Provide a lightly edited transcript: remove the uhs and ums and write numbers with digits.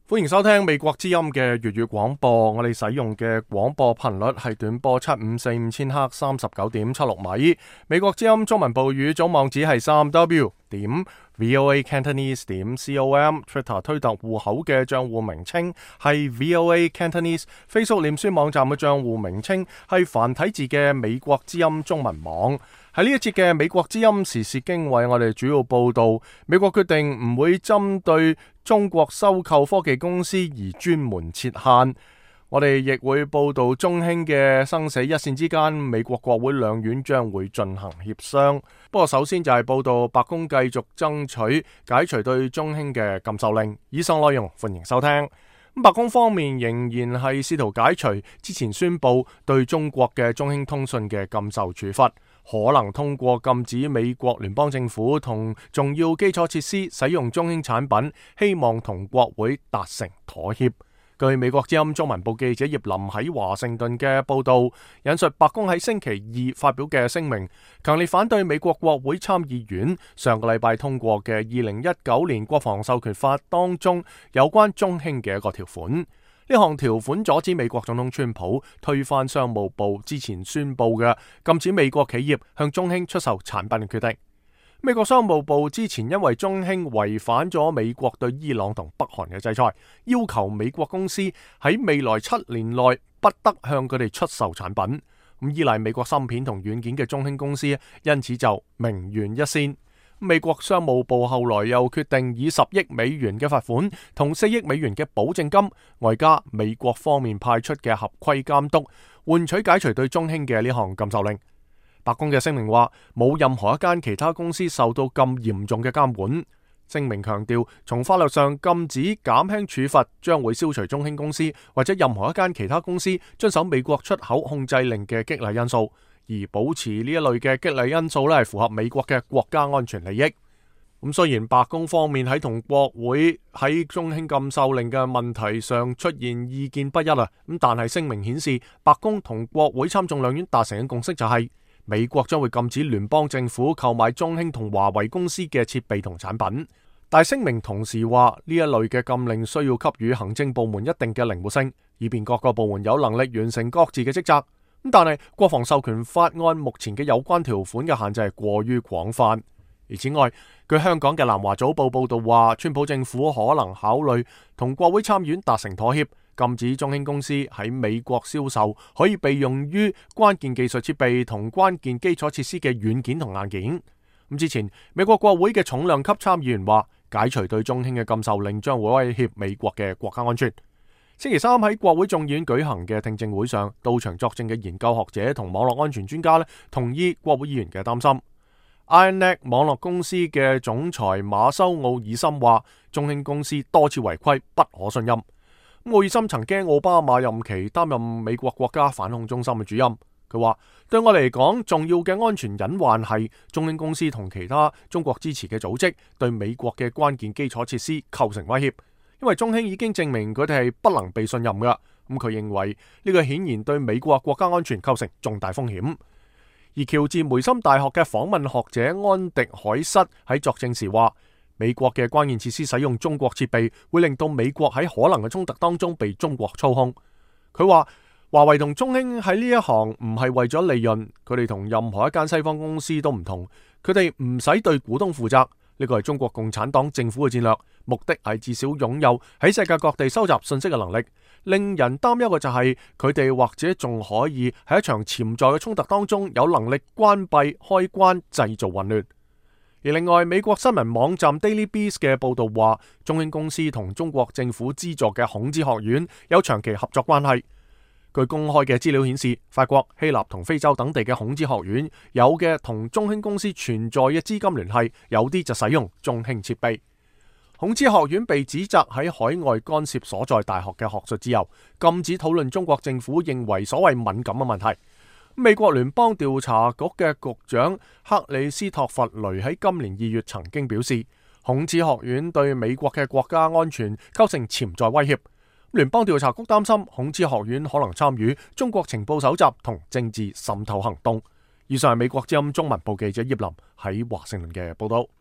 歡迎收聽美國之音嘅粵語廣播，我哋使用嘅廣播頻率係短波7545千赫39.76米。美國之音中文部語組網址係3w.voacantonese.com，Twitter 推特戶口嘅賬戶名稱係 VOA Cantonese，Facebook 臉書網站嘅賬戶名稱係繁體字嘅美國之音中文網。喺呢一節嘅美國之音時事經緯，我哋主要報道美國決定唔會針對中國收購科技公司而專門設限。我哋亦會報道中興嘅生死一線之間，美國國會兩院將會進行協商。不過首先就係報道白宮繼續爭取解除對中興嘅禁售令。以上內容歡迎收聽。白宮方面仍然係試圖解除之前宣布對中國嘅中興通訊嘅禁售處罰，可能通過禁止美國聯邦政府同重要基礎設施使用中興產品，希望同國會達成妥協。據美國之音中文部記者葉林喺華盛頓嘅報道，引述白宮喺星期二發表嘅聲明，強烈反對美國國會參議院上個禮拜通過嘅2019年國防授權法當中有關中興嘅一個條款。呢項條款阻止美國總統川普推翻商務部之前宣布嘅禁止美國企業向中興出售產品嘅決定。美國商務部之前因為中興違反咗美國對伊朗同北韓嘅制裁，要求美國公司喺未來7年內不得向佢哋出售產品。依賴美國芯片同軟件嘅中興公司因此就名懸一線。美國商務部後來又決定以10億美元嘅罰款同4億美元嘅保證金，外加美國方面派出嘅合規監督，換取解除對中興嘅呢項禁售令。白宮嘅聲明話，冇任何一間其他公司受到咁嚴重嘅監管。聲明強調，從法律上禁止減輕處罰，將會消除中興公司或者任何一間其他公司遵守美國出口控制令嘅激勵因素，而保持呢一類嘅激勵因素係符合美國嘅國家安全利益。咁雖然白宮方面喺同國會喺中興禁售令嘅問題上出現意見不一咁但係聲明顯示，白宮同國會參眾兩院達成嘅共識就係美國將會禁止聯邦政府購買中興同華為公司嘅設備同產品。但聲明同時話，呢一類嘅禁令需要給予行政部門一定嘅靈活性，以便各個部門有能力完成各自嘅職責。但係國防授權法案目前嘅有關條款嘅限制係過於廣泛。而此外，據香港嘅南華早報報道話，川普政府可能考慮同國會參院達成妥協，禁止中興公司喺美國銷售可以備用於關鍵技術設備同關鍵基礎設施嘅軟件同硬件。之前美國國會嘅重量級參議員話，解除對中興嘅禁售令將會威脅美國嘅國家安全。星期三喺國會眾議院舉行嘅聽證會上，到場作證嘅研究學者同網絡安全專家同意國會議員嘅擔心。IronNet 網絡公司嘅總裁馬修奧爾森話，中興公司多次違規，不可信任。奧爾森曾經奧巴馬任期擔任美國國家反恐中心嘅主任。佢話，對我嚟講，重要嘅安全隱患係中興公司同其他中國支持嘅組織對美國嘅關鍵基礎設施構成威脅，因為中興已經證明佢哋係不能被信任㗎。佢認為呢個顯然對美國國家安全構成重大風險。而喬治梅森大學嘅訪問學者安迪海瑟喺作證時話，美國嘅關鍵設施使用中國設備，會令到美國喺可能嘅衝突當中被中國操控。佢話，華為同中興喺呢一行唔係為咗利潤，佢哋同任何一間西方公司都唔同，佢哋唔使對股東負責。呢個係中國共產黨政府嘅戰略，目的係至少擁有喺世界各地收集信息嘅能力。令人擔憂嘅就係佢哋或者仲可以喺一場潛在嘅衝突當中有能力關閉開關，製造混亂。而另外，美國新聞網站 Daily Beast 嘅報道話，中興公司同中國政府資助嘅孔子學院有長期合作關係。據公開嘅資料顯示，法國、希臘同非洲等地嘅孔子學院有嘅同中興公司存在嘅資金聯繫，有啲就使用中興設備。孔子學院被指責喺海外干涉所在大學嘅學術自由，禁止討論中國政府認為所謂敏感嘅問題。美國聯邦調查局嘅局長克里斯托弗雷喺今年2月曾經表示，孔子學院對美國嘅國家安全構成潛在威脅。聯邦調查局擔心孔子學院可能參與中國情報搜集同政治滲透行動。以上係美國之音中文部記者葉林喺華盛頓嘅報道。